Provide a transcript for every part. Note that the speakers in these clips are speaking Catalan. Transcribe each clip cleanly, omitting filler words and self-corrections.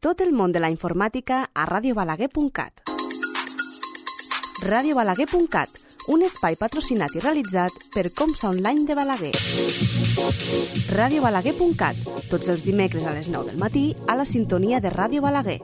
Tot el món de la informàtica a radiobalaguer.cat. Radiobalaguer.cat, un espai patrocinat i realitzat per Comsa Online de Balaguer. Radiobalaguer.cat, tots els dimecres a les 9 del matí a la sintonia de Ràdio Balaguer.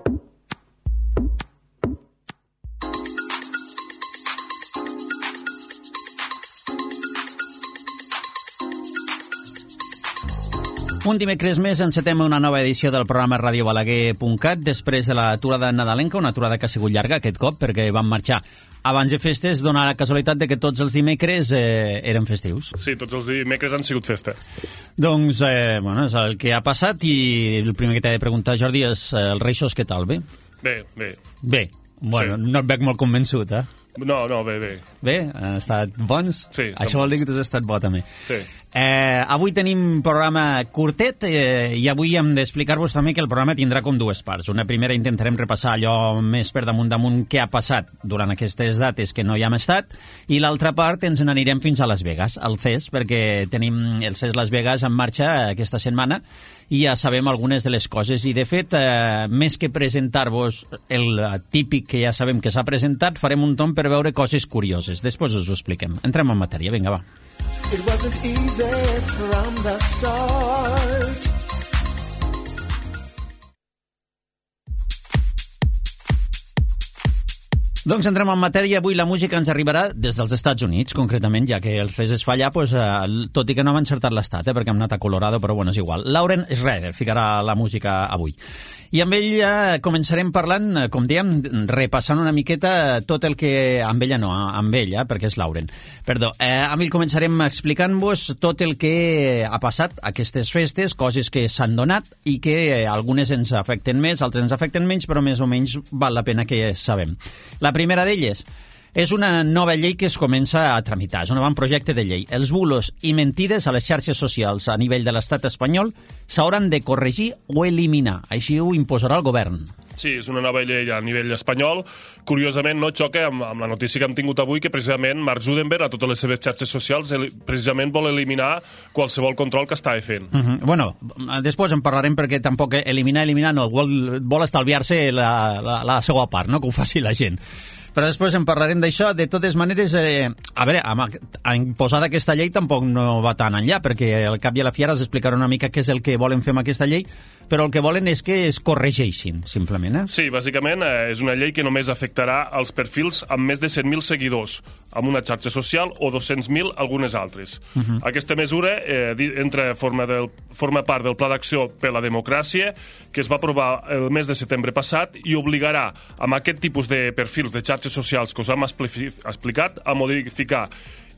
Un dimecres més encetem una nova edició del programa radiobalaguer.cat després de l'aturada nadalenca, una aturada que ha sigut llarga aquest cop perquè van marxar abans de festes, dona la casualitat de que tots els dimecres eren festius. Sí, tots els dimecres han sigut festa. Doncs, bueno, és el que ha passat i el primer que t'he de preguntar, Jordi, és els Reixos, què tal, bé? Bé. Bé, bueno, sí. No et veig molt convençut, eh? No, bé. Bé, han estat bons? Sí. Això vol dir que tu has estat bo, també. Sí. Avui tenim programa curtet i avui hem d'explicar-vos també que el programa tindrà com dues parts. Una primera intentarem repassar allò més per damunt què ha passat durant aquestes dates que no hi hem estat, i l'altra part ens n'anirem fins a Las Vegas, al CES, perquè tenim el CES Las Vegas en marxa aquesta setmana i ja sabem algunes de les coses. I, de fet, més que presentar-vos el típic que ja sabem que s'ha presentat, farem un tomb per veure coses curioses. Després us ho expliquem. Entrem en matèria. Vinga, va. It wasn't easy from the start. Doncs entrem en matèria. Avui la música ens arribarà des dels Estats Units, concretament, ja que el CES es fa allà, doncs, tot i que no hem encertat l'estat, perquè hem anat a Colorado, però bueno, és igual. Lauren Schrader ficarà la música avui. I amb ell començarem parlant, com dèiem, repassant una miqueta tot el que... Amb ella no, amb ella, perquè és Lauren. Perdó. Amb ell començarem explicant-vos tot el que ha passat aquestes festes, coses que s'han donat i que algunes ens afecten més, altres ens afecten menys, però més o menys val la pena que sabem. La primera d'elles és una nova llei que es comença a tramitar, és un avantprojecte de llei. Els bulos i mentides a les xarxes socials a nivell de l'estat espanyol s'hauran de corregir o eliminar. Així ho imposarà el govern. Sí, és una nova llei a nivell espanyol. Curiosament, no xoca amb la notícia que hem tingut avui, que precisament Mark Zuckerberg, a totes les seves xarxes socials, precisament vol eliminar qualsevol control que estava fent. Bueno, després en parlarem, perquè tampoc eliminar no, vol estalviar-se la seva part, no? Que ho faci la gent. Però després en parlarem d'això. De totes maneres, a veure, a imposar aquesta llei tampoc no va tan enllà, perquè al cap i a la fi ara es explicarà una mica què és el que volen fer amb aquesta llei, però el que volen és que es corregeixin, simplement. Sí, bàsicament és una llei que només afectarà els perfils amb més de 100.000 seguidors, amb una xarxa social, o 200.000 algunes altres. Aquesta mesura forma part del Pla d'Acció per la Democràcia, que es va aprovar el mes de setembre passat i obligarà amb aquest tipus de perfils de xarxes socials que us hem explicat a modificar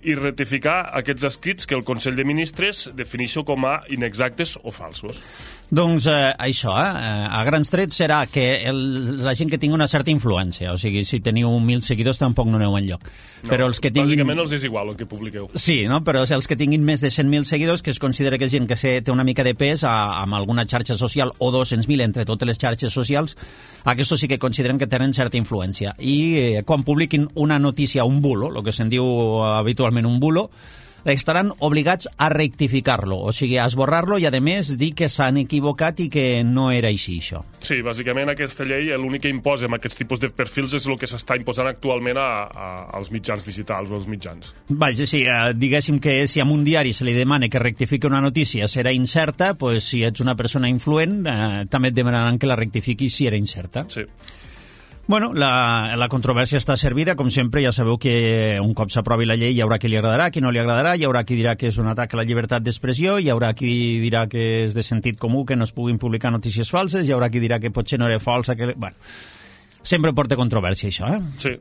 i ratificar aquests escrits que el Consell de Ministres defineixo com a inexactes o falsos. Doncs això, a grans trets serà que la gent que tingui una certa influència, o sigui, si teniu 1.000 seguidors tampoc no aneu enlloc. No, però els que tinguin... Bàsicament els és igual el que publiqueu. Sí, no? Però els que tinguin més de 100.000 seguidors, que es considera que és gent que té una mica de pes amb alguna xarxa social, o 200.000 entre totes les xarxes socials, aquests sí que consideren que tenen certa influència. I quan publiquin una notícia, un bulo, el que se'n diu habitualment un bulo, estaran obligats a rectificar-lo, o sigui, a esborrar-lo i, a més, dir que s'han equivocat i que no era així, això. Sí, bàsicament aquesta llei l'únic que imposa amb aquests tipus de perfils és el que s'està imposant actualment als mitjans digitals o als mitjans. Vaja, sí, diguéssim que si a un diari se li demana que rectifiqui una notícia serà incerta, doncs si ets una persona influent també et demanaran que la rectifiquis si era incerta. Sí. Bueno, la controvèrsia està servida, com sempre. Ja sabeu que un cop s'aprovi la llei hi haurà qui li agradarà, qui no li agradarà, hi haurà qui dirà que és un atac a la llibertat d'expressió, hi haurà qui dirà que és de sentit comú que no es puguin publicar notícies falses, hi haurà qui dirà que potser no era falsa, que... Bueno, sempre porta controvèrsia, això, Sí.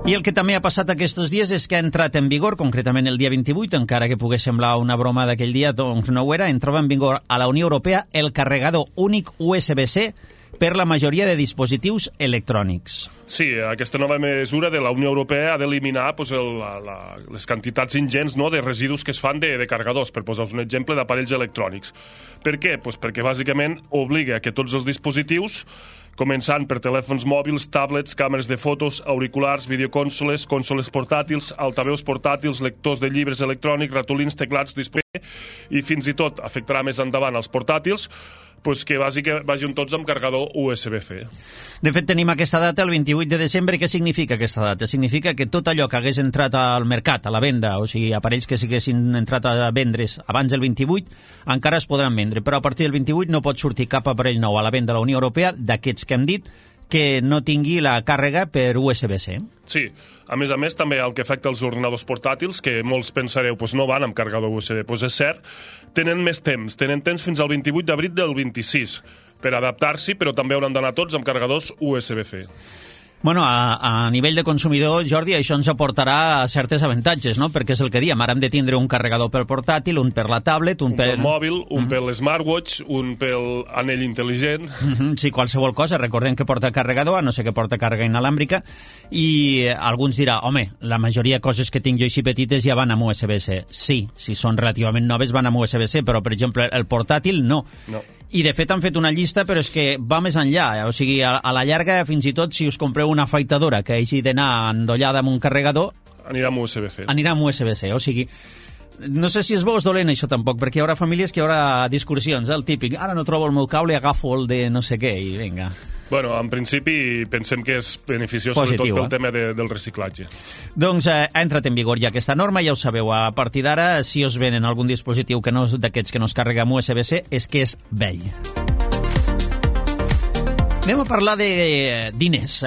I el que també ha passat aquests dies és que ha entrat en vigor, concretament el dia 28, encara que pogués semblar una broma d'aquell dia, doncs no ho era, entrava en vigor a la Unió Europea el carregador únic USB-C per la majoria de dispositius electrònics. Sí, aquesta nova mesura de la Unió Europea ha d'eliminar les quantitats ingents, no, de residus que es fan de carregadors, per posar-vos un exemple, d'aparells electrònics. Per què? Pues perquè bàsicament obliga que tots els dispositius, començant per telèfons mòbils, tablets, càmeres de fotos, auriculars, videoconsoles, consoles portàtils, altaveus portàtils, lectors de llibres electrònics, ratolins, teclats, display, i fins i tot afectarà més endavant els portàtils, pues que vagin tots amb carregador USB-C. De fet, tenim aquesta data, el 28 de desembre. Què significa aquesta data? Significa que tot allò que hagués entrat al mercat, a la venda, o sigui, aparells que s'haguessin entrat a vendre's abans del 28, encara es podran vendre, però a partir del 28 no pot sortir cap aparell nou a la venda a la Unió Europea, d'aquests que hem dit, que no tingui la càrrega per USB-C. Sí, a més, també el que afecta els ordinadors portàtils, que molts pensareu, no van amb carregador USB, és cert, tenen més temps, tenen temps fins al 28 d'abril del 26 per adaptar-s'hi, però també hauran d'anar tots amb carregadors USB-C. Bueno, a nivell de consumidor, Jordi, això ens aportarà certes avantatges, no? Perquè és el que diem, ara hem de tindre un carregador pel portàtil, un per la tablet, un pel mòbil, un per l'smartwatch, un pel anell intel·ligent. Sí, qualsevol cosa. Recordem que porta carregador, a no sé que porta càrrega inalàmbrica, i alguns dirà, home, la majoria de coses que tinc jo així petites ja van amb USB-C. Sí, si són relativament noves van amb USB-C, però, per exemple, el portàtil no. I, de fet, han fet una llista, però és que va més enllà. O sigui, a la llarga, fins i tot, si us compreu una afeitadora que hagi d'anar endollada amb un carregador... Anirà amb USB-C. Anirà amb USB-C, o sigui... No sé si és bo o és dolent, això, tampoc, perquè hi haurà famílies que hi haurà discursions, el típic, ara no trobo el meu cable, agafo el de no sé què, i vinga... Bueno, en principi pensem que és beneficiós, positiu, sobretot pel tema del reciclatge. Doncs ha entrat en vigor ja aquesta norma, ja ho sabeu, a partir d'ara, si us venen algun dispositiu que no d'aquests que no es carrega amb USB-C, és que és vell. Anem a parlar de diners.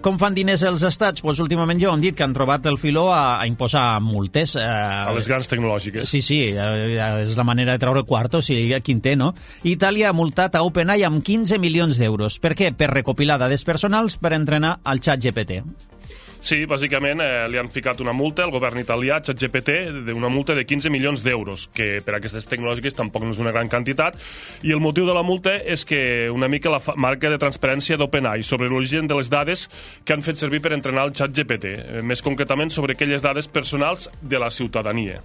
Com fan diners els estats? Pues últimament jo han dit que han trobat el filó a imposar multes. A les grans tecnològiques. Sí, és la manera de treure quarto, o sigui, quin té, no? Itàlia ha multat a OpenAI amb 15 milions d'euros. Per què? Per recopilar dades personals per entrenar el ChatGPT. Sí, bàsicament li han ficat una multa al govern italià, ChatGPT, d'una multa de 15 milions d'euros, que per aquestes tecnològiques tampoc no és una gran quantitat, i el motiu de la multa és que una mica la marca de transparència d'OpenAI sobre l'origen de les dades que han fet servir per entrenar el ChatGPT, més concretament sobre aquelles dades personals de la ciutadania.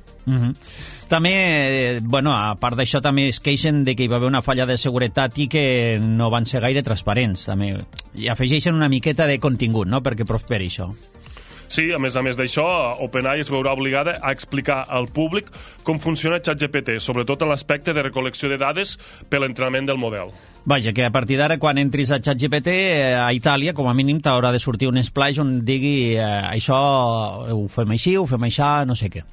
També, bueno, a part d'això, també es queixen de que hi va haver una falla de seguretat i que no van ser gaire transparents. També. I afegeixen una miqueta de contingut, no?, perquè prosperi això. Sí, a més d'això, OpenAI es veurà obligada a explicar al públic com funciona ChatGPT, sobretot en l'aspecte de recol·lecció de dades per l'entrenament del model. Vaja, que a partir d'ara, quan entris a ChatGPT, a Itàlia, com a mínim, t'haurà de sortir un splash on digui això ho fem així, ho fem així, no sé què.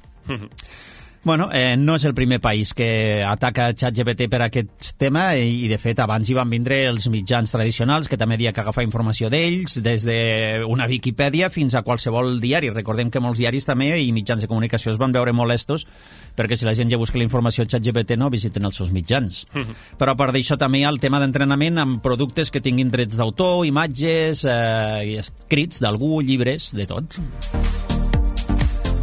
Bueno, no és el primer país que ataca ChatGPT per aquest tema i, de fet, abans hi van vindre els mitjans tradicionals que també havia que agafar informació d'ells, des d'una Viquipèdia fins a qualsevol diari. Recordem que molts diaris també i mitjans de comunicació es van veure molestos perquè si la gent ja busca la informació a ChatGPT no visiten els seus mitjans. Però a part d'això també hi ha el tema d'entrenament amb productes que tinguin drets d'autor, imatges, escrits d'algú, llibres, de tot.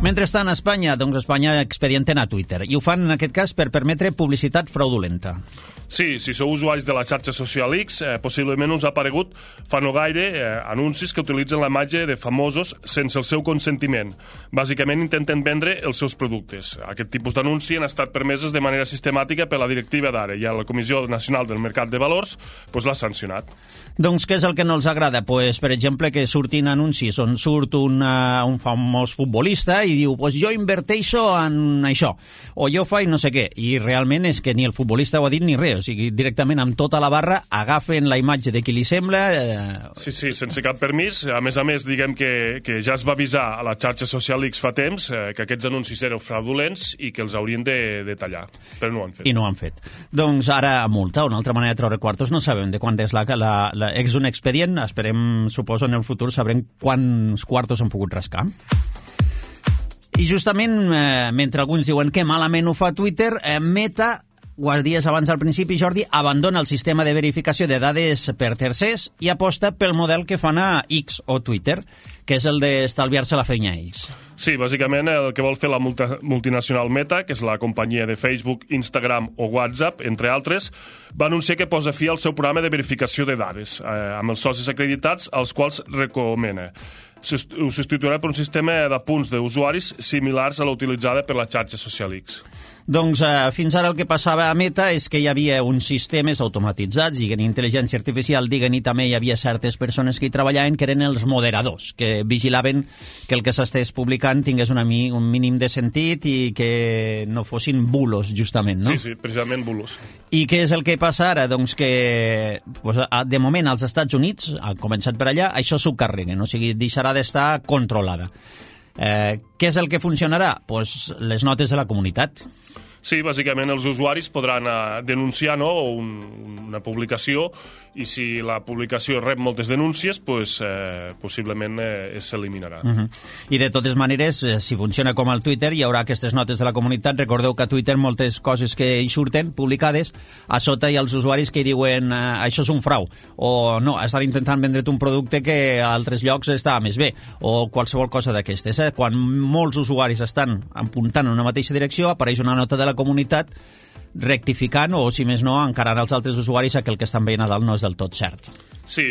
Mentrestant, a Espanya, doncs Espanya expedienten a Twitter, i ho fan en aquest cas per permetre publicitat fraudulenta. Sí, si sou usuaris de la xarxa social X, possiblement us ha aparegut fa no gaire anuncis que utilitzen la imatge de famosos sense el seu consentiment. Bàsicament intenten vendre els seus productes. Aquest tipus d'anunci han estat permeses de manera sistemàtica per la directiva d'ara i la Comissió Nacional del Mercat de Valors l'ha sancionat. Doncs què és el que no els agrada? Pues, per exemple, que surtin anuncis on surt un famós futbolista i diu, pues jo inverteixo en això, o jo faig no sé què, i realment és que ni el futbolista ho ha dit ni res, o sigui, directament amb tota la barra agafen la imatge de qui li sembla... Sí, sense cap permís. A més, diguem que ja es va avisar a la xarxa social X fa temps que aquests anuncis eren fraudulents i que els haurien de tallar, però no ho han fet. I no ho han fet. Doncs ara multa, una altra manera de treure quartos, no sabem de quant és és un expedient, esperem, suposo, en el futur sabrem quants quartos han pogut rascar. I justament, mentre alguns diuen que malament ho fa Twitter, Meta, guardies abans al principi, Jordi, abandona el sistema de verificació de dades per tercers i aposta pel model que fan a X o Twitter, que és el d'estalviar-se la feina a ells. Sí, bàsicament el que vol fer la multinacional Meta, que és la companyia de Facebook, Instagram o WhatsApp, entre altres, va anunciar que posa fi al seu programa de verificació de dades, amb els socis acreditats als quals recomana. Ho substituirà per un sistema de punts d'usuaris similars a l'utilitzada per la xarxa social X. Doncs fins ara el que passava a Meta és que hi havia uns sistemes automatitzats, diguen intel·ligència artificial, diguen, i també hi havia certes persones que hi treballaven que eren els moderadors, que vigilaven que el que s'estés publicant tingués un mínim de sentit i que no fossin bulos, justament, no? Sí, precisament bulos. I què és el que passa ara? Doncs que, de moment, als Estats Units, han començat per allà, això s'ho carreguen, o sigui, deixarà d'estar controlada. Què és el que funcionarà? Doncs les notes de la comunitat. Sí, bàsicament els usuaris podran denunciar, no, una publicació, i si la publicació rep moltes denúncies, pues, possiblement s'eliminarà. I de totes maneres, si funciona com al Twitter, hi haurà aquestes notes de la comunitat. Recordeu que a Twitter moltes coses que hi surten publicades, a sota hi ha els usuaris que hi diuen això és un frau, o no, estan intentant vendre't un producte que a altres llocs està més bé, o qualsevol cosa d'aquestes. Quan molts usuaris estan apuntant en una mateixa direcció, apareix una nota de la comunitat rectificant o, si més no, encarant als altres usuaris que el que estan veient a dalt no és del tot cert. Sí,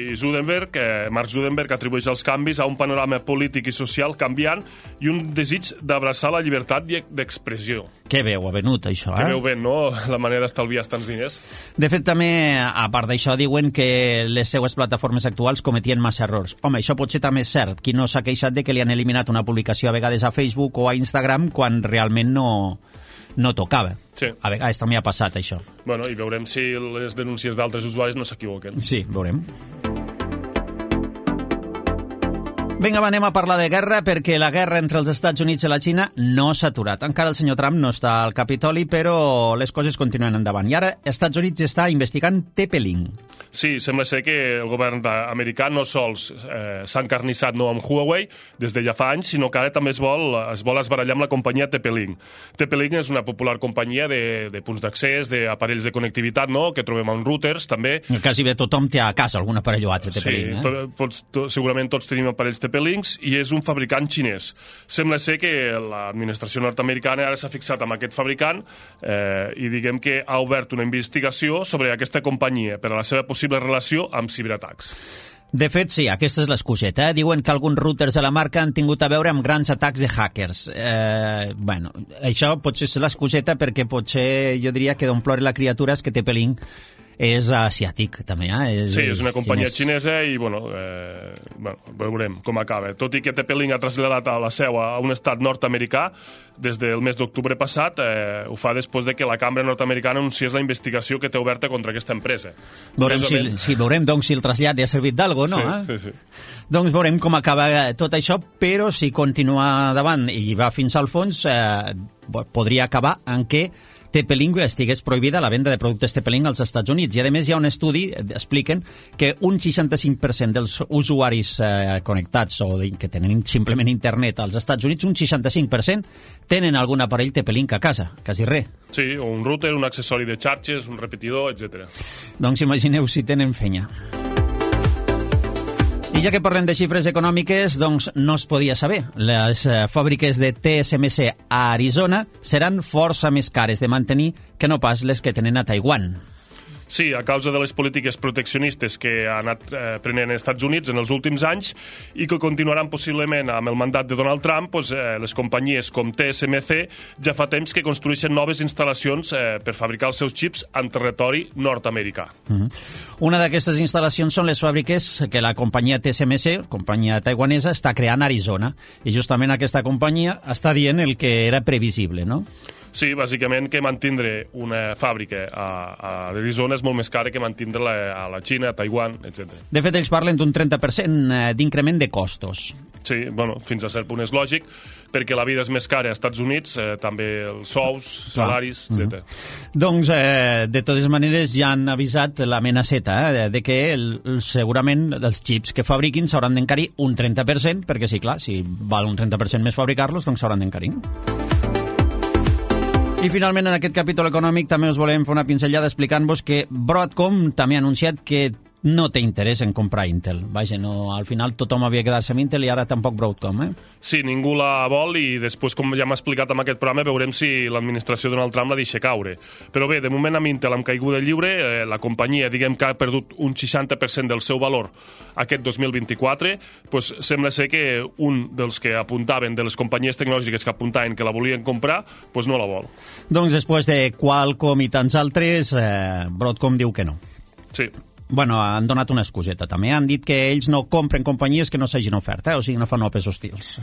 Mark Zuckerberg atribueix els canvis a un panorama polític i social canviant i un desig d'abraçar la llibertat d'expressió. Que bé ho ha venut, això, Que veu bé, no?, la manera d'estalviar tants diners. De fet, també, a part d'això, diuen que les seues plataformes actuals cometien massa errors. Home, això potser també és cert. Qui no s'ha queixat de que li han eliminat una publicació a vegades a Facebook o a Instagram quan realment no tocava. Sí. A vegades també ha passat això. Bueno, i veurem si les denúncies d'altres usuaris no s'equivoquen. Sí, veurem. Vinga, anem a parlar de guerra, perquè la guerra entre els Estats Units i la Xina no s'ha aturat. Encara el senyor Trump no està al Capitoli, però les coses continuen endavant. I ara Estats Units està investigant TP-Link. Sí, sembla ser que el govern americà no sols s'ha encarnissat amb Huawei des de ja fa anys, sinó que ara també es vol esbarallar amb la companyia TP-Link. TP-Link és una popular companyia de punts d'accés, d'aparells de connectivitat, no?, que trobem en routers, també. Quasi bé tothom té a casa algun aparell o altre TP-Link. Sí, segurament tots tenim aparells TP-Links, i és un fabricant xinès. Sembla ser que l'administració nord-americana ara s'ha fixat amb aquest fabricant i diguem que ha obert una investigació sobre aquesta companyia per a la seva possible relació amb ciberatacs. De fet, sí, aquesta és l'excuseta. Diuen que alguns routers de la marca han tingut a veure amb grans atacs de hackers. Bueno, això potser és l'excuseta perquè potser jo diria que d'on plora la criatura és que TP-Link és asiàtic, també. Sí, és una companyia xinesa i, bueno, veurem com acaba. Tot i que TP-Link ha traslladat a la seu a un estat nord-americà des del mes d'octubre passat, ho fa després de que la cambra nord-americana anunciés la investigació que té oberta contra aquesta empresa. Veurem, doncs, si el trasllat li ha servit d'algo, no? Sí. Doncs veurem com acaba tot això, però si continua davant i va fins al fons, podria acabar en què TP-Link estigués prohibida la venda de productes TP-Link als Estats Units. I, a més, hi ha un estudi, expliquen, que un 65% dels usuaris connectats o que tenen simplement internet als Estats Units, un 65% tenen algun aparell TP-Link a casa, quasi res. Sí, un router, un accessori de xarxes, un repetidor, etc. Doncs imagineu si tenen fenya. I ja que parlem de xifres econòmiques, doncs no es podia saber. Les fàbriques de TSMC a Arizona seran força més cares de mantenir que no pas les que tenen a Taiwan. Sí, a causa de les polítiques proteccionistes que ha anat prenent els Estats Units en els últims anys i que continuaran possiblement amb el mandat de Donald Trump, doncs, les companyies com TSMC ja fa temps que construeixen noves instal·lacions per fabricar els seus xips en territori nord-americà. Una d'aquestes instal·lacions són les fàbriques que la companyia TSMC, companyia taiwanesa, està creant a Arizona. I justament aquesta companyia està dient el que era previsible, no? Sí, bàsicament que mantindre una fàbrica a Arizona és molt més cara que mantindre-la a la Xina, a Taiwan, etc. De fet, ells parlen d'un 30% d'increment de costos. Sí, bueno, fins a cert punt és lògic, perquè la vida és més cara als Estats Units, també els sous, salaris, etc. Doncs, de totes maneres, ja han avisat l'amenaceta de que segurament els xips que fabriquin s'hauran d'encarir un 30%, perquè sí, clar, si val un 30% més fabricar-los, doncs s'hauran d'encarir. I finalment, en aquest capítol econòmic també us volem fer una pinzellada explicant-vos que Broadcom també ha anunciat que no té interès en comprar Intel. Vaja, no, al final tothom havia quedat-se amb Intel i ara tampoc Broadcom, Sí, ningú la vol i després, com ja m'ha explicat en aquest programa, veurem si l'administració Donald Trump la deixa caure. Però bé, de moment amb Intel amb caiguda lliure, la companyia, diguem que ha perdut un 60% del seu valor aquest 2024, doncs sembla ser que un dels que apuntaven, de les companyies tecnològiques que apuntaven que la volien comprar, doncs no la vol. Doncs després de Qualcomm i tants altres, Broadcom diu que no. Sí. Bueno, han donat una excuseta també. Han dit que ells no compren companyies que no s'hagin ofert, o sigui, no fan opes hostils.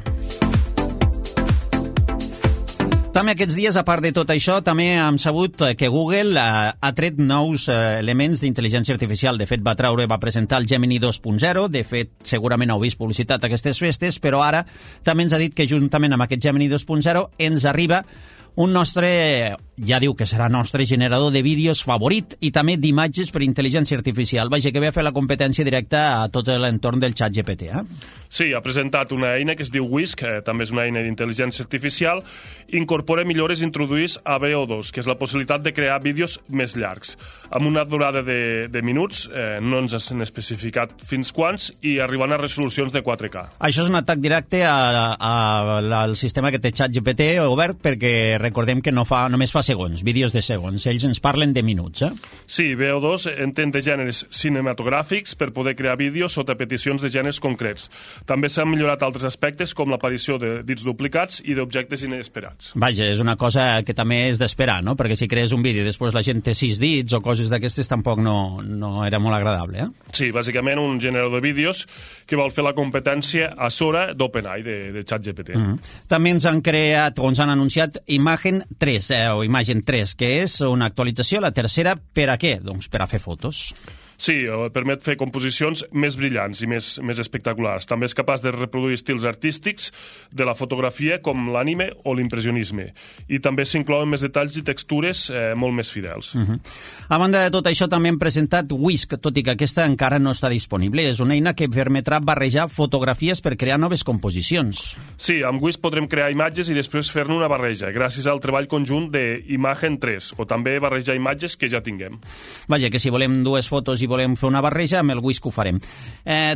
També aquests dies, a part de tot això, també hem sabut que Google ha tret nous elements d'intel·ligència artificial. De fet, va presentar el Gemini 2.0. De fet, segurament heu vist publicitat aquestes festes, però ara també ens ha dit que juntament amb aquest Gemini 2.0 ens arriba un nostre, ja diu que serà nostre generador de vídeos favorit i també d'imatges per intel·ligència artificial. Vaja, que ve a fer la competència directa a tot l'entorn del ChatGPT, Sí, ha presentat una eina que es diu Whisk, que també és una eina d'intel·ligència artificial, incorpora millores introduïdes a VO2, que és la possibilitat de crear vídeos més llargs, amb una durada de minuts, no ens han especificat fins quants, i arribant a resolucions de 4K. Això és un atac directe al sistema que té ChatGPT obert, perquè recordem que només fa segons, vídeos de segons. Ells ens parlen de minuts, Sí, VO2 entén de gèneres cinematogràfics per poder crear vídeos sota peticions de gèneres concrets. També s'han millorat altres aspectes, com l'aparició de dits duplicats i d'objectes inesperats. Vaja, és una cosa que també és d'esperar, no? Perquè si crees un vídeo i després la gent té 6 dits o coses d'aquestes, tampoc no era molt agradable, Sí, bàsicament un generador de vídeos que vol fer la competència a Sora d'OpenAI, de ChatGPT. També ens han creat, o ens han anunciat Imagen 3, o Imagen 3, que és una actualització, la tercera, per a què? Doncs per a fer fotos. Sí, permet fer composicions més brillants i més espectaculars. També és capaç de reproduir estils artístics de la fotografia com l'anime o l'impressionisme. I també s'inclouen més detalls i textures molt més fidels. A banda de tot això, també hem presentat Whisk, tot i que aquesta encara no està disponible. És una eina que permetrà barrejar fotografies per crear noves composicions. Sí, amb Whisk podrem crear imatges i després fer-ne una barreja, gràcies al treball conjunt d'Imagen 3, o també barrejar imatges que ja tinguem. Vaja, que si volem dues fotos i volem fer una barreja, amb el Whisk ho farem.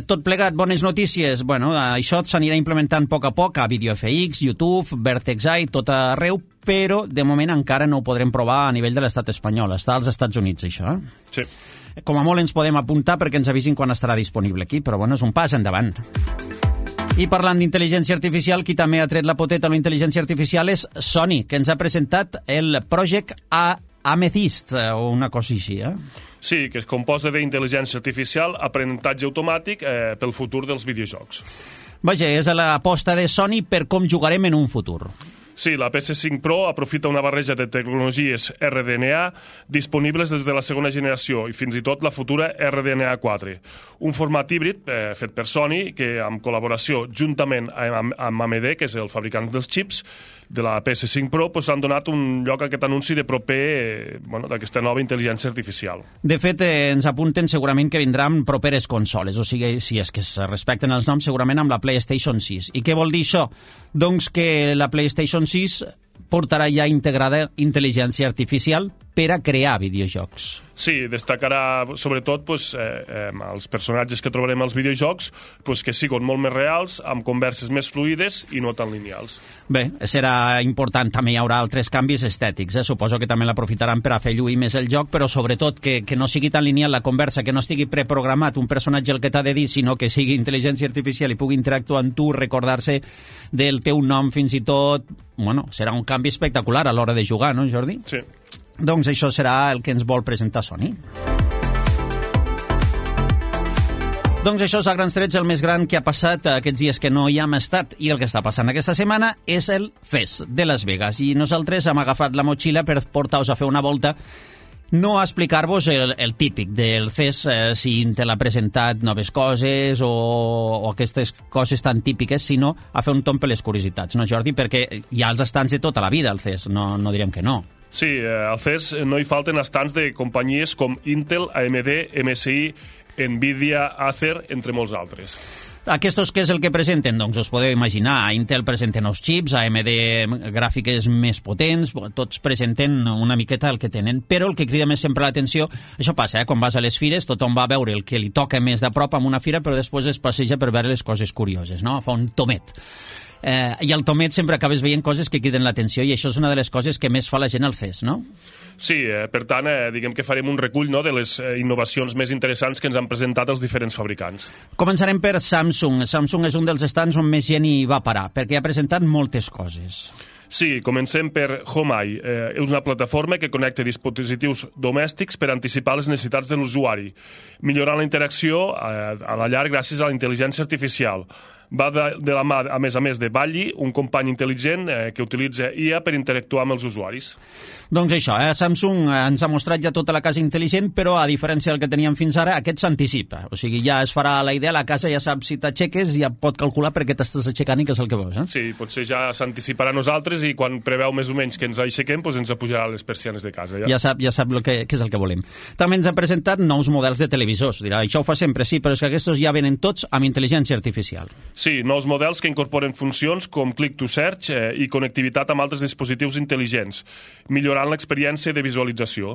Tot plegat, bones notícies. Bueno, això s'anirà implementant a poc a VideoFX, YouTube, Vertex AI, tot arreu, però de moment encara no ho podrem provar a nivell de l'estat espanyol. Està als Estats Units, això. Sí. Com a molt ens podem apuntar perquè ens avisin quan estarà disponible aquí, però bueno, és un pas endavant. I parlant d'intel·ligència artificial, qui també ha tret la poteta a la intel·ligència artificial és Sony, que ens ha presentat el Project Amethyst, o una cosa així, Sí, que es composa d'intel·ligència artificial, aprenentatge automàtic pel futur dels videojocs. Vaja, és l'aposta de Sony per com jugarem en un futur. Sí, la PS5 Pro aprofita una barreja de tecnologies RDNA disponibles des de la segona generació i fins i tot la futura RDNA 4. Un format híbrid fet per Sony que, en col·laboració juntament amb AMD, que és el fabricant dels xips de la PS5 Pro, han donat un lloc a aquest anunci de proper d'aquesta nova intel·ligència artificial. De fet, ens apunten segurament que vindran properes consoles, o sigui, si és que es respecten els noms, segurament amb la PlayStation 6. I què vol dir això? Doncs que la PlayStation 6 portarà ja integrada intel·ligència artificial per a crear videojocs. Sí, destacarà sobretot els personatges que trobarem als videojocs que siguin molt més reals, amb converses més fluides i no tan lineals. Bé, serà important. També hi haurà altres canvis estètics. Suposo que també l'aprofitaran per a fer lluir més el joc, però sobretot que no sigui tan lineal la conversa, que no estigui preprogramat un personatge el que t'ha de dir, sinó que sigui intel·ligència artificial i pugui interactuar amb tu, recordar-se del teu nom fins i tot. Bueno, serà un canvi espectacular a l'hora de jugar, no, Jordi? Sí. Doncs això serà el que ens vol presentar Sony. Doncs això és a grans trets el més gran que ha passat aquests dies que no hi hem estat, i el que està passant aquesta setmana és el FES de Las Vegas, i nosaltres hem agafat la motxilla per portar-vos a fer una volta, no a explicar-vos el típic del CES, si Intel ha presentat noves coses o aquestes coses tan típiques, sinó a fer un tomb per les curiositats, no, Jordi? Perquè hi ha els estants de tota la vida al CES, no direm que no. Sí, al CES no hi falten estants de companyies com Intel, AMD, MSI, Nvidia, Acer, entre molts altres. Aquests què és el que presenten? Doncs us podeu imaginar, Intel presenta nous xips, AMD gràfiques més potents, tots presenten una miqueta el que tenen, però el que crida més sempre l'atenció, això passa, quan vas a les fires, tothom va a veure el que li toca més de prop amb una fira, però després es passeja per veure les coses curioses, no? Fa un tomet. I al tomet sempre acabes veient coses que criden l'atenció, i això és una de les coses que més fa la gent al CES, no? Sí, per tant, diguem que farem un recull de les innovacions més interessants que ens han presentat els diferents fabricants. Començarem per Samsung. Samsung és un dels estants on més gent hi va parar, perquè ha presentat moltes coses. Sí, comencem per HomeEye. És una plataforma que connecta dispositius domèstics per anticipar les necessitats de l'usuari, millorant la interacció a la llar gràcies a la intel·ligència artificial. Va de la mà, a més de Balli, un company intel·ligent que utilitza IA per interactuar amb els usuaris. Doncs això, Samsung ens ha mostrat ja tota la casa intel·ligent, però a diferència del que teníem fins ara, aquest s'anticipa. O sigui, ja es farà la idea, la casa ja sap si t'aixeques, ja pot calcular per què t'estàs aixecant i què és el que veus. Sí, potser ja s'anticiparà a nosaltres i quan preveu més o menys que ens aixequem, doncs ens apujarà les persianes de casa. Ja sap què és el que volem. També ens ha presentat nous models de televisors. Dirà, això ho fa sempre, sí, però és que aquests ja venen tots amb intel·ligència artificial. Sí, nous models que incorporen funcions com Click to Search i connectivitat amb altres dispositius intel·ligents, millorant l'experiència de visualització.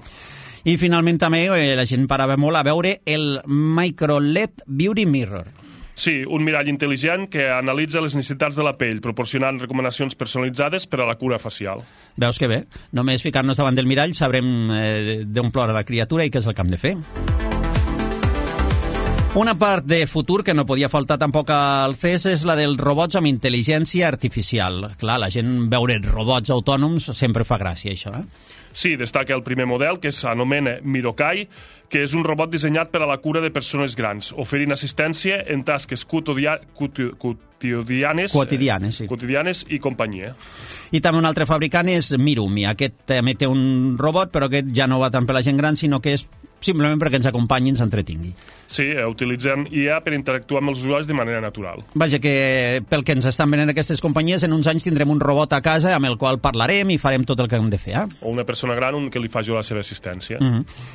I finalment també la gent parava molt a veure el Micro LED Beauty Mirror. Sí, un mirall intel·ligent que analitza les necessitats de la pell, proporcionant recomanacions personalitzades per a la cura facial. Veus que bé? Només ficar-nos davant del mirall sabrem d'on plora la criatura i què és el que hem de fer. Una part de futur que no podia faltar tampoc al CES és la dels robots amb intel·ligència artificial. Clar, la gent veure robots autònoms sempre fa gràcia, això, Sí, destaca el primer model, que s'anomena Mirokai, que és un robot dissenyat per a la cura de persones grans, oferint assistència en tasques quotidianes i companyia. I també un altre fabricant és Mirumi. Aquest també té un robot, però aquest ja no va tant per la gent gran, sinó que és simplement perquè ens acompanyi i ens entretingui. Sí, utilitzem IA per interactuar amb els usuaris de manera natural. Vaja, que pel que ens estan venent aquestes companyies, en uns anys tindrem un robot a casa amb el qual parlarem i farem tot el que hem de fer. O una persona gran que li faci la seva assistència.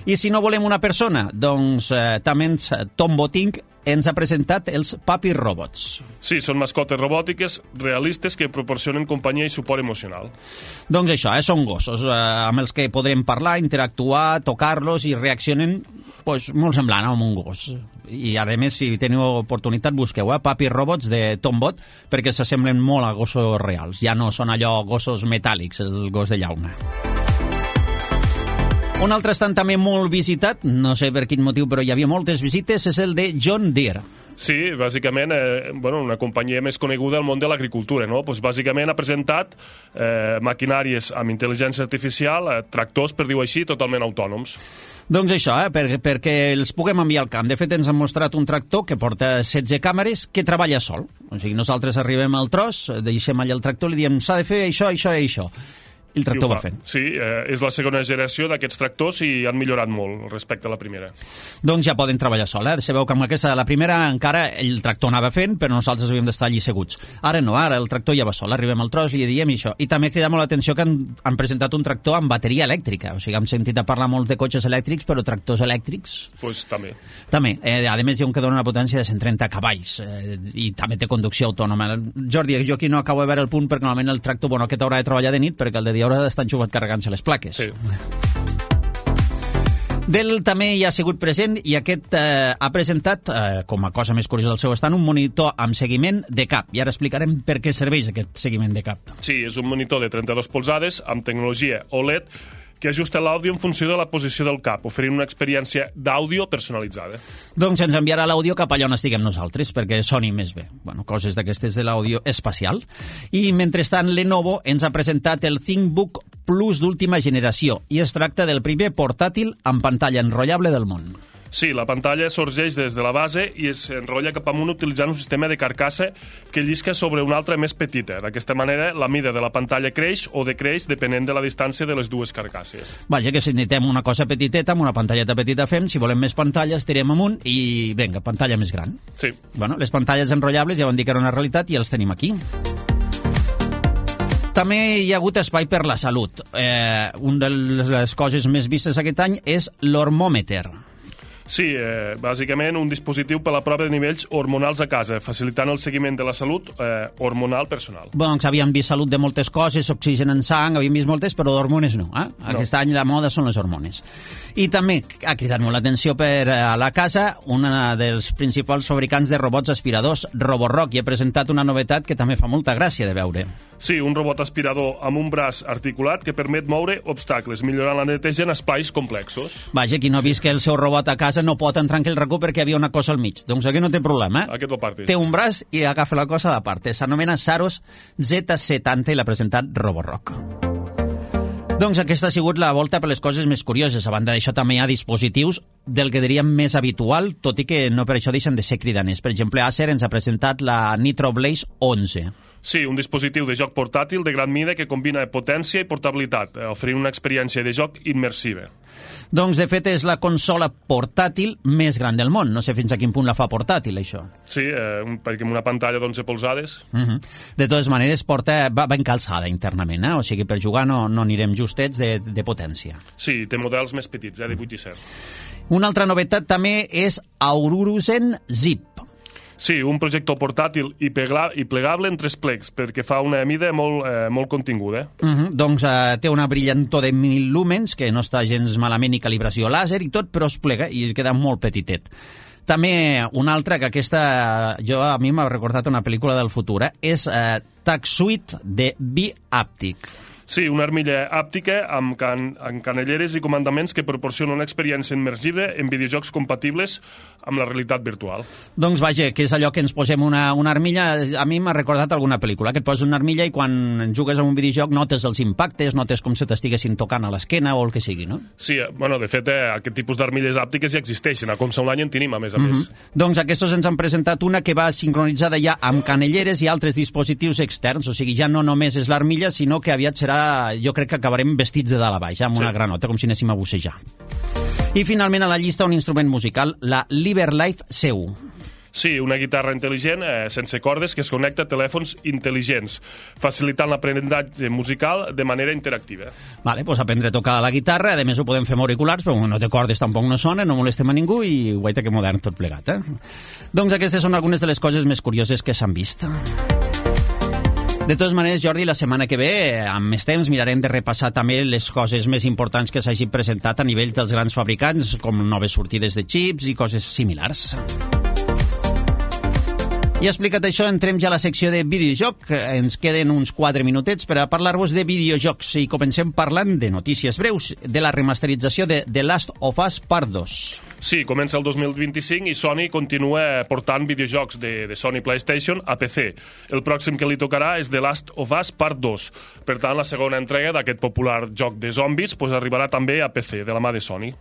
I si no volem una persona, doncs també Tom Boting ens ha presentat els Papi Robots. Sí, són mascotes robòtiques realistes que proporcionen companyia i suport emocional. Doncs això, són gossos amb els que podrem parlar, interactuar, tocar-los i reaccionen molt semblant amb un gos. I a més, si teniu oportunitat, busqueu Papi Robots de Tombot, perquè s'assemblen molt a gossos reals. Ja no són allò gossos metàl·lics, el gos de llauna. Un altre estant també molt visitat, no sé per quin motiu, però hi havia moltes visites, és el de John Deere. Sí, bàsicament, una companyia més coneguda al món de l'agricultura, no? Pues bàsicament ha presentat maquinàries amb intel·ligència artificial, tractors, per dir-ho així, totalment autònoms. Doncs això, perquè els puguem enviar al camp. De fet, ens han mostrat un tractor que porta 16 càmeres que treballa sol. O sigui, nosaltres arribem al tros, deixem allà el tractor i li diem s'ha de fer això, això i això. El tractor va fent. Sí, és la segona generació d'aquests tractors i han millorat molt respecte a la primera. Doncs ja poden treballar sol. Sabeu que amb aquesta, la primera, encara el tractor anava fent, però nosaltres havíem d'estar allí seguts. Ara no, ara el tractor ja va sol. Arribem al tros i li diem això. I també crida molt l'atenció que han presentat un tractor amb bateria elèctrica. O sigui, hem sentit a parlar molt de cotxes elèctrics, però tractors elèctrics... Pues també. També. A més, hi ha un que dona una potència de 130 cavalls i també té conducció autònoma. Jordi, jo aquí no acabo de veure el punt perquè normalment el tractor, aquest haurà de treballar de nit perquè el de dia haurà d'estar enxufat carregant-se les plaques. Sí. Dell també hi ha sigut present i aquest ha presentat, com a cosa més curiosa del seu estant, un monitor amb seguiment de cap. I ara explicarem per què serveix aquest seguiment de cap. Sí, és un monitor de 32 polzades amb tecnologia OLED que ajusta l'àudio en funció de la posició del cap, oferint una experiència d'àudio personalitzada. Doncs ens enviarà l'àudio cap allà on estiguem nosaltres, perquè soni més bé. Coses d'aquestes de l'àudio espacial. I, mentrestant, Lenovo ens ha presentat el ThinkBook Plus d'última generació, i es tracta del primer portàtil amb pantalla enrotllable del món. Sí, la pantalla sorgeix des de la base i es enrotlla cap amunt utilitzant un sistema de carcassa que llisca sobre una altra més petita. D'aquesta manera, la mida de la pantalla creix o decreix depenent de la distància de les dues carcasses. Vaja, que si necessitem una cosa petiteta, amb una pantalleta petita fem, si volem més pantalles, tirem amunt i, vinga, pantalla més gran. Sí. Les pantalles enrotllables ja van dir que era una realitat i els tenim aquí. També hi ha hagut espai per la salut. Una de les coses més vistes aquest any és l'hormòmeter. Sí, bàsicament un dispositiu per a la prova de nivells hormonals a casa, facilitant el seguiment de la salut hormonal personal. Doncs havíem vist salut de moltes coses, oxigen en sang, havíem vist moltes, però d'hormones no. Aquest any la moda són les hormones. I també ha cridat molt l'atenció per a la casa una dels principals fabricants de robots aspiradors, Roborock, i ha presentat una novetat que també fa molta gràcia de veure. Sí, un robot aspirador amb un braç articulat que permet moure obstacles, millorant la neteja en espais complexos. Vaja, qui no ha vist que el seu robot a casa casa no pot entrar en aquell racó perquè hi havia una cosa al mig. Doncs aquí no té problema. Aquest ho parti. Té un braç i agafa la cosa a la part. S'anomena Saros Z70 i l'ha presentat Roborock. Doncs aquesta ha sigut la volta per les coses més curioses. A banda d'això també hi ha dispositius del que diríem més habitual, tot i que no per això deixen de ser cridaners. Per exemple, Acer ens ha presentat la Nitro Blaze 11. Sí, un dispositiu de joc portàtil de gran mida que combina potència i portabilitat, oferint una experiència de joc immersiva. Doncs, de fet, és la consola portàtil més gran del món. No sé fins a quin punt la fa portàtil, això. Sí, perquè amb una pantalla d'11 polzades. De totes maneres, va encalçada internament, o sigui, per jugar no anirem justets de potència. Sí, té models més petits, de 8 i 7. Una altra novetat també és Aururusen Zip. Sí, un projector portàtil i plegable en 3 plecs, perquè fa una mida molt continguda. Doncs té una brillantor de 1.000 lúmens, que no està gens malament ni calibració làser i tot, però es plega i es queda molt petitet. També una altra, que aquesta a mi m'ha recordat una pel·lícula del futur, és TagSuite de Bi-Aptic. Sí, una armilla àptica amb canelleres i comandaments que proporciona una experiència immersiva en videojocs compatibles amb la realitat virtual. Doncs vaja, que és allò que ens posem una armilla. A mi m'ha recordat alguna pel·lícula, que et poses una armilla i quan jugues a un videojoc notes els impactes, notes com se t'estiguessin tocant a l'esquena o el que sigui, no? Sí, bueno, de fet, aquest tipus d'armilles àptiques ja existeixen. A Comsa Online en tenim, a més a més. Doncs aquests ens han presentat una que va sincronitzada ja amb canelleres i altres dispositius externs, o sigui, ja no només és l'armilla, sinó que aviat serà, jo crec que acabarem vestits de dalt a baix, amb una granota, com si anéssim a bussejar. I finalment a la llista un instrument musical, la Liverlife C1. Sí, una guitarra intel·ligent, sense cordes, que es connecta a telèfons intel·ligents, facilitant l'aprenentatge musical de manera interactiva. Vale, doncs aprendre a tocar la guitarra, a més ho podem fer amb auriculars, però no té cordes, tampoc no sona, no molestem a ningú i guaita que modern tot plegat, Doncs aquestes són algunes de les coses més curioses que s'han vist. De totes maneres, Jordi, la setmana que ve, amb més temps, mirarem de repassar també les coses més importants que s'hagin presentat a nivell dels grans fabricants, com noves sortides de xips i coses similars. I explicat això, entrem ja a la secció de videojoc. Ens queden uns 4 minutets per a parlar-vos de videojocs i comencem parlant de notícies breus de la remasterització de The Last of Us Part 2. Sí, comença el 2025 i Sony continua portant videojocs de Sony PlayStation a PC. El pròxim que li tocarà és The Last of Us Part 2. Per tant, la segona entrega d'aquest popular joc de zombis arribarà també a PC, de la mà de Sony.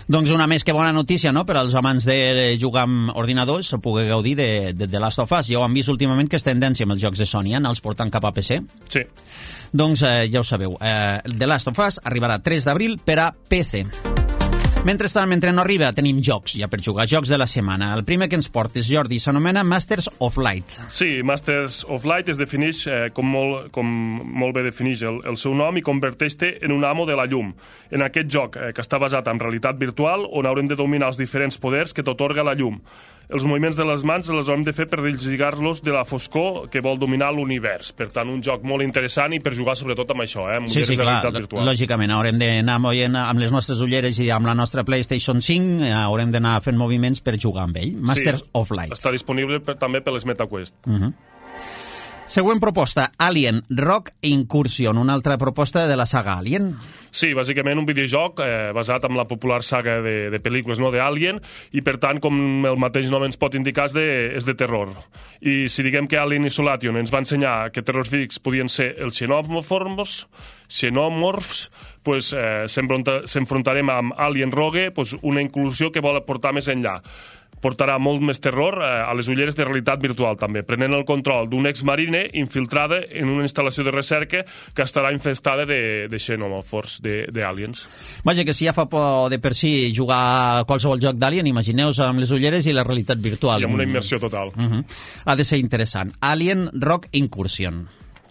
Doncs una més que bona notícia, no?, per als amants de jugar amb ordinadors, poder gaudir de The Last of Us. Ja ho han vist últimament, que és tendència amb els jocs de Sony, anar-los portant cap a PC. Sí. Doncs ja ho sabeu, The Last of Us arribarà 3 d'abril per a PC. Mentrestant, mentre no arriba, tenim jocs ja per jugar, jocs de la setmana. El primer que ens portes, Jordi, s'anomena Masters of Light. Sí, Masters of Light es defineix, com molt bé defineix el seu nom, i converteix-te en un amo de la llum. En aquest joc, que està basat en realitat virtual, on haurem de dominar els diferents poders que t'atorga la llum. Els moviments de les mans els haurem de fer per deslligar-los de la foscor que vol dominar l'univers. Per tant, un joc molt interessant i per jugar sobretot amb això, amb sí, de realitat virtual. Lògicament, haurem d'anar movent amb les nostres ulleres i amb la nostra PlayStation 5, haurem d'anar fent moviments per jugar amb ell. Masters of Light. Està disponible també per les MetaQuest. Següent proposta, Alien Rock Incursion, una altra proposta de la saga Alien. Sí, bàsicament un videojoc basat en la popular saga de pel·lícules d'Alien, i per tant, com el mateix nom ens pot indicar, és de terror. I si diguem que Alien Isolation ens va ensenyar que terrorífics podien ser els xenomorfs, pues s'enfrontarem amb Alien Rogue, una inclusió que vol portar més enllà. Portarà molt més terror a les ulleres de realitat virtual, també, prenent el control d'un exmarine infiltrada en una instal·lació de recerca que estarà infestada de xenomorfs, d'aliens. Vaja, que si ja fa por de per si jugar a qualsevol joc d'Alien, imagineu-vos amb les ulleres i la realitat virtual. I amb una immersió total. Ha de ser interessant. Alien Rock Incursion.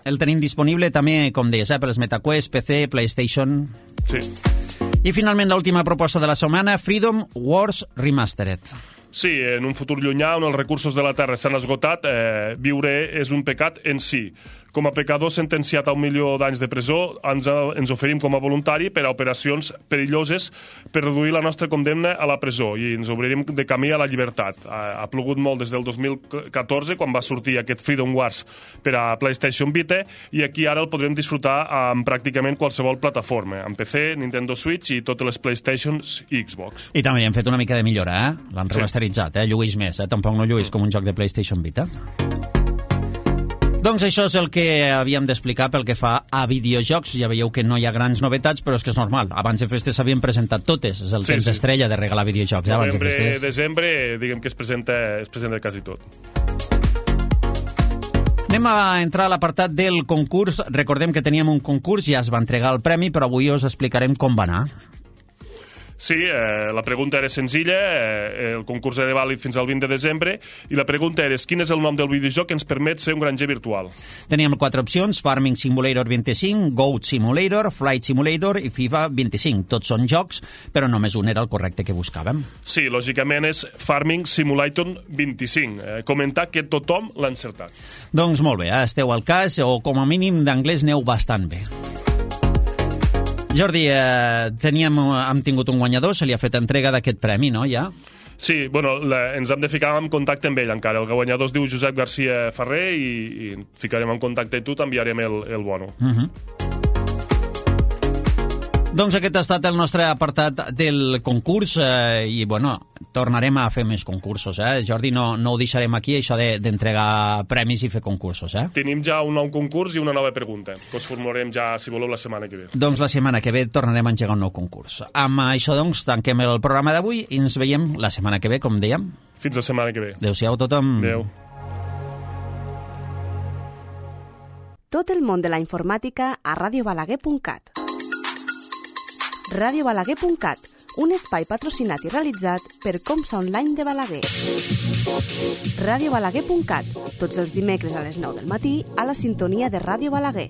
El tenim disponible també, com deies, per les MetaQuest, PC, PlayStation... Sí. I finalment l'última proposta de la setmana, Freedom Wars Remastered. Sí, en un futur llunyà on els recursos de la Terra s'han esgotat, viure és un pecat en si. com a pecador sentenciat a 1 milió d'anys de presó, ens oferim com a voluntari per a operacions perilloses per reduir la nostra condemna a la presó i ens obrirem de camí a la llibertat. Ha plogut molt des del 2014, quan va sortir aquest Freedom Wars per a PlayStation Vita, i aquí ara el podrem disfrutar amb pràcticament qualsevol plataforma, amb PC, Nintendo Switch i totes les PlayStations i Xbox. I també hi han fet una mica de millora, L'han remasteritzat, Lluís més, Tampoc no lluís com un joc de PlayStation Vita. Doncs això és el que havíem d'explicar pel que fa a videojocs. Ja veieu que no hi ha grans novetats, però és que és normal. Abans de festes s'havien presentat totes. És el temps estrella de regalar videojocs. Novembre, desembre, diguem que es presenta quasi tot. Anem a entrar a l'apartat del concurs. Recordem que teníem un concurs, ja es va entregar el premi, però avui us explicarem com va anar. Sí, la pregunta era senzilla, el concurs era vàlid fins al 20 de desembre, i la pregunta era quin és el nom del videojoc que ens permet ser un granger virtual. Teníem 4 opcions: Farming Simulator 25, Goat Simulator, Flight Simulator i FIFA 25. Tots són jocs, però només un era el correcte que buscàvem. Sí, lògicament és Farming Simulator 25. Comentar que tothom l'ha encertat. Doncs molt bé, esteu al cas, o com a mínim d'anglès neu bastant bé. Jordi, hem tingut un guanyador, se li ha fet entrega d'aquest premi, no, ja? Sí, bueno, ens hem de ficar en contacte amb ell encara. El guanyador es diu Josep García Ferrer i ficarem en contacte i tu t'enviarem el bono. Doncs aquest ha estat el nostre apartat del concurs i, bueno, tornarem a fer més concursos, Jordi, no ho deixarem aquí, això d'entregar premis i fer concursos, Tenim ja un nou concurs i una nova pregunta, que us formularem ja, si voleu, la setmana que ve. Doncs la setmana que ve tornarem a engegar un nou concurs. Amb això, doncs, tanquem el programa d'avui i ens veiem la setmana que ve, com dèiem. Fins la setmana que ve. Adéu-siau a tothom. Adéu. Tot el món de la informàtica a radiobalaguer.cat. radiobalaguer.cat, un espai patrocinat i realitzat per Comsa Online de Balaguer. radiobalaguer.cat, tots els dimecres a les 9 del matí a la sintonia de Ràdio Balaguer.